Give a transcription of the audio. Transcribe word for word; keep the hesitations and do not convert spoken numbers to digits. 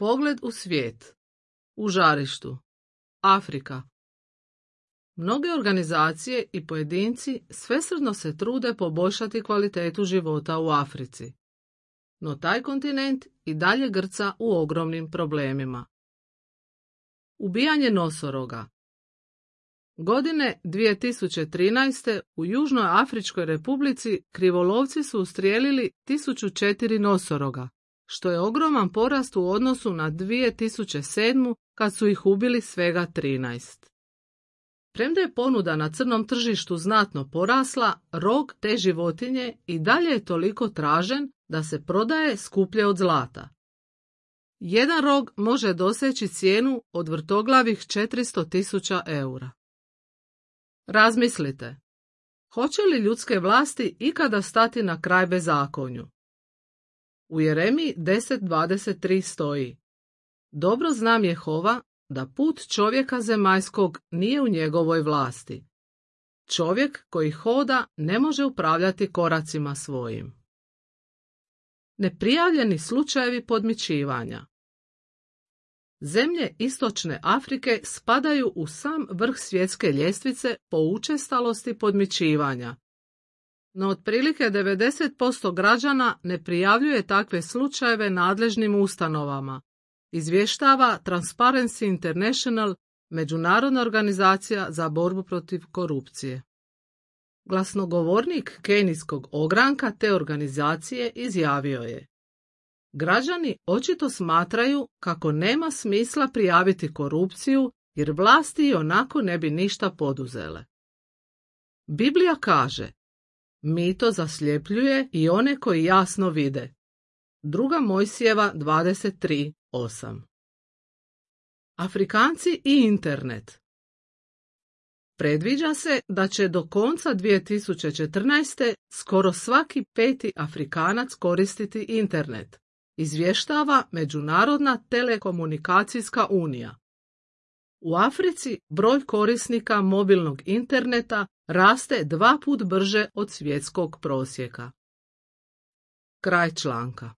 Pogled u svijet. U žarištu. Afrika. Mnoge organizacije i pojedinci svesrdno se trude poboljšati kvalitetu života u Africi. No taj kontinent i dalje grca u ogromnim problemima. Ubijanje nosoroga. Godine dvije tisuće trinaeste. u Južnoj Afričkoj Republici krivolovci su ustrijelili tisuću četiri nosoroga, što je ogroman porast u odnosu na dvije tisuće sedmu. kad su ih ubili svega trinaest. Premda je ponuda na crnom tržištu znatno porasla, rog te životinje i dalje je toliko tražen da se prodaje skuplje od zlata. Jedan rog može doseći cijenu od vrtoglavih četiristo tisuća eura. Razmislite, hoće li ljudske vlasti ikada stati na kraj bezakonju? U Jeremiji deset dvadeset tri stoji: Dobro znam Jehova da put čovjeka zemaljskog nije u njegovoj vlasti. Čovjek koji hoda ne može upravljati koracima svojim. Neprijavljeni slučajevi podmićivanja. Zemlje istočne Afrike spadaju u sam vrh svjetske ljestvice po učestalosti podmićivanja. No otprilike devedeset posto građana ne prijavljuje takve slučajeve nadležnim ustanovama, izvještava Transparency International, međunarodna organizacija za borbu protiv korupcije. Glasnogovornik kenijskog ogranka te organizacije izjavio je: Građani očito smatraju kako nema smisla prijaviti korupciju jer vlasti ionako ne bi ništa poduzele. Biblija kaže: Mito zasljepljuje i one koji jasno vide. Druga Mojsijeva dvadeset tri osam. Afrikanci i internet. Predviđa se da će do konca dvije tisuće četrnaeste. skoro svaki peti Afrikanac koristiti internet, izvještava Međunarodna telekomunikacijska unija. U Africi broj korisnika mobilnog interneta raste dva put brže od svjetskog prosjeka. Kraj članka.